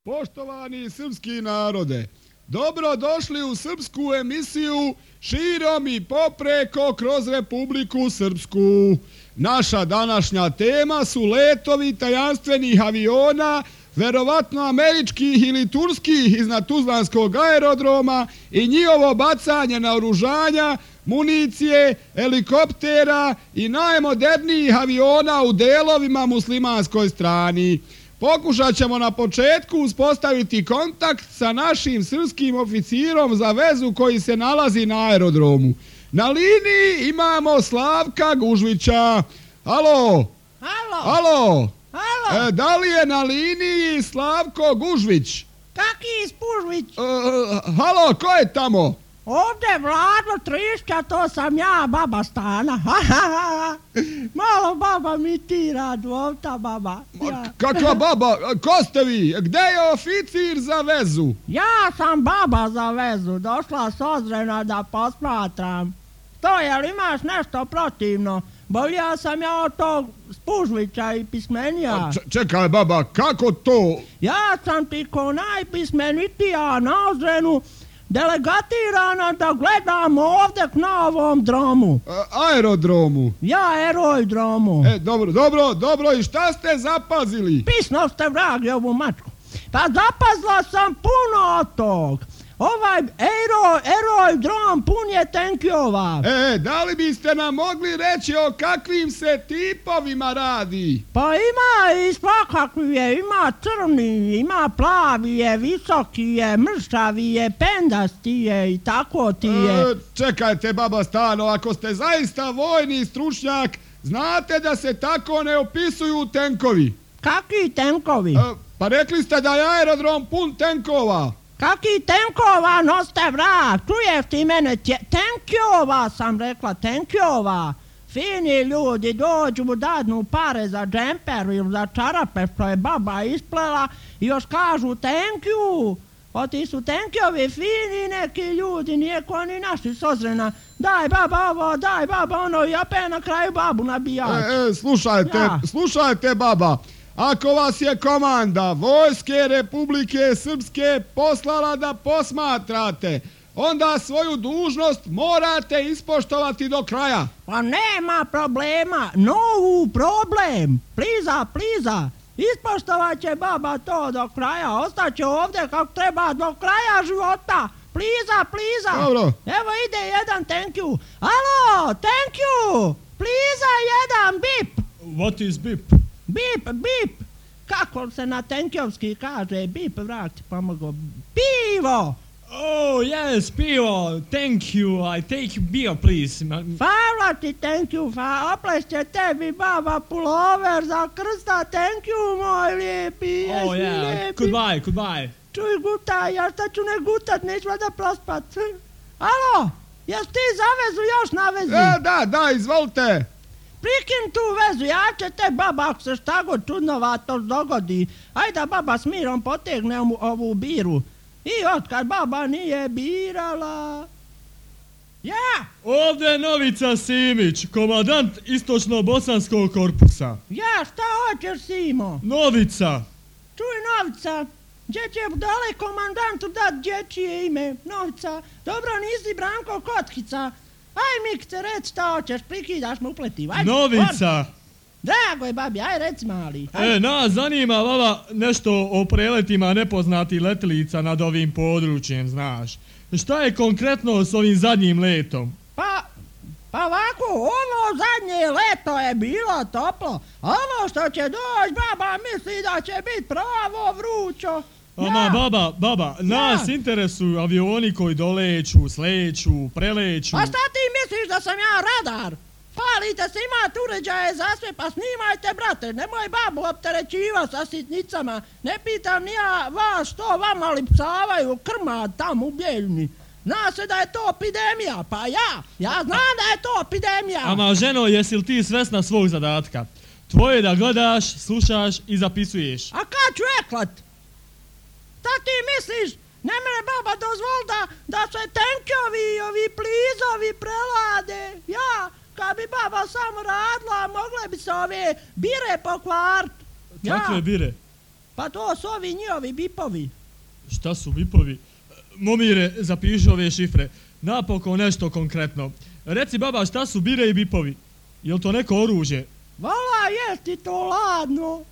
Poštovani srpski narode, dobro došli u srpsku emisiju širom i popreko kroz Republiku Srpsku. Naša današnja tema su letovi tajanstvenih aviona, verovatno američkih ili turskih iznad Tuzlanskog aerodroma i njihovo bacanje naoružanja, municije, helikoptera i najmodernijih aviona u delovima muslimanskoj strani. Pokušat ćemo na početku uspostaviti kontakt sa našim srpskim oficirom za vezu koji se nalazi na aerodromu. Na liniji imamo Slavka Gužvića. Halo? Halo? Halo? Da li je na liniji Slavko Gužvić? Kaki Spužvić? Halo, ko je tamo? Ovdje Vlado Trišća, to sam ja, baba Stana. Malo baba mitira, dvovta baba. Ja. Kakva baba? Ko ste vi? Gde je oficir za vezu? Ja sam baba za vezu, došla s Ozrena da posmatram. To, jel imaš nešto protivno? Bolja sam ja od tog Spužvića i pismenija. Čekaj baba, kako to? Ja sam ti ko najpismenitija na Ozrenu delegatirana da gledam ovdje na ovom dromu. Aerodromu? Ja, aerodromu. Dobro, i šta ste zapazili? Pisno ste vragi ovu mačku. Pa zapazila sam puno od tog. Ovaj aerodrom pun je tenkova. Da li biste nam mogli reći o kakvim se tipovima radi? Pa ima i svakakvi je, ima crni, ima plavi je, visoki je, mršavi je, pendasti je i tako ti je. Čekajte baba Stano, ako ste zaista vojni stručnjak, znate da se tako ne opisuju tenkovi. Kakvi tenkovi? Pa rekli ste da je aerodrom pun tenkova. Kaki tenkova, noste vrat, čuješ ti mene, tenkova sam rekla, tenkova. Fini ljudi dođu, dadnu pare za džemper ili za čarape što je baba isplela i još kažu thank you. O ti su tenkjovi fini neki ljudi, nije ko ni naši s Ozrena. Daj baba ovo, daj baba ono i opet na kraju babu nabijač. Slušajte baba. Ako vas je komanda Vojske Republike Srpske poslala da posmatrate, onda svoju dužnost morate ispoštovati do kraja. Pa nema problema, no problem, pliza. Ispoštovat će baba to do kraja, ostaće ovdje kako treba do kraja života. Pliza. Dobro. Evo ide jedan thank you. Alo, thank you. Pliza jedan bip. What is bip? Bip. Kako se na tenkjovski kaže? Bip, vrati, pomogu. Pivo! Oh, yes, pivo. Thank you. I take beer, please. Hvala ti, thank you. Oplešće tebi, baba, pulover za krsta. Thank you, moj lijepi. Oh, yeah. Lijepi. Goodbye. Čuj, gutaj, ja šta ću ne gutat, neću da prospat. Alo, jes ti za vezu još na vezi? Da, izvolite. Prikin tu vezu, ja će te baba, ako se šta god čudnovato dogodi. Ajde baba s mirom potegne ovu biru. I otkad baba nije birala. Ja! Ovdje je Novica Simić, komandant Istočno-Bosanskog korpusa. Ja, šta hoćeš, Simo? Novica! Čuj, Novica, gdje će dole komandantu dat dječje ime? Novica, dobro, nisi Branko Kotkica. Aj, Mikce, reci šta hoćeš, prikidaš me upletiv. Novica! Drago je, babi, aj reci mali. Nas zanima, baba, nešto o preletima nepoznatih letilica nad ovim područjem, znaš. Šta je konkretno s ovim zadnjim letom? Pa ovako, ovo zadnje leto je bilo toplo. Ovo što će doći, baba misli da će biti pravo vrućo. Ama baba, nas interesuju avioni koji doleću, sleću, preleću. A šta ti misliš da sam ja radar? Palite se, imate uređaje za sve, pa snimajte, brate. Nemoj babu opterećiva sa sitnicama. Ne pitam ni ja vas što vama lipsavaju krmad tam u Bijeljni. Zna se da je to epidemija, pa ja znam da je to epidemija. Ama ženo, jesi li ti svesna svog zadatka? Tvoje je da gledaš, slušaš i zapisuješ. A kad ću eklat? Šta ti misliš? Ne mene baba dozvoli da se tenkjovi i ovi plizovi prelade. Ja, kad bi baba samo radila, mogle bi se ove bire pokvart. Kakve bire? Pa to su ovi njihovi bipovi. Šta su bipovi? Momire, zapiši ove šifre. Napokon nešto konkretno. Reci baba, šta su bire i bipovi? Je li to neko oružje? Vala, je ti to ladno?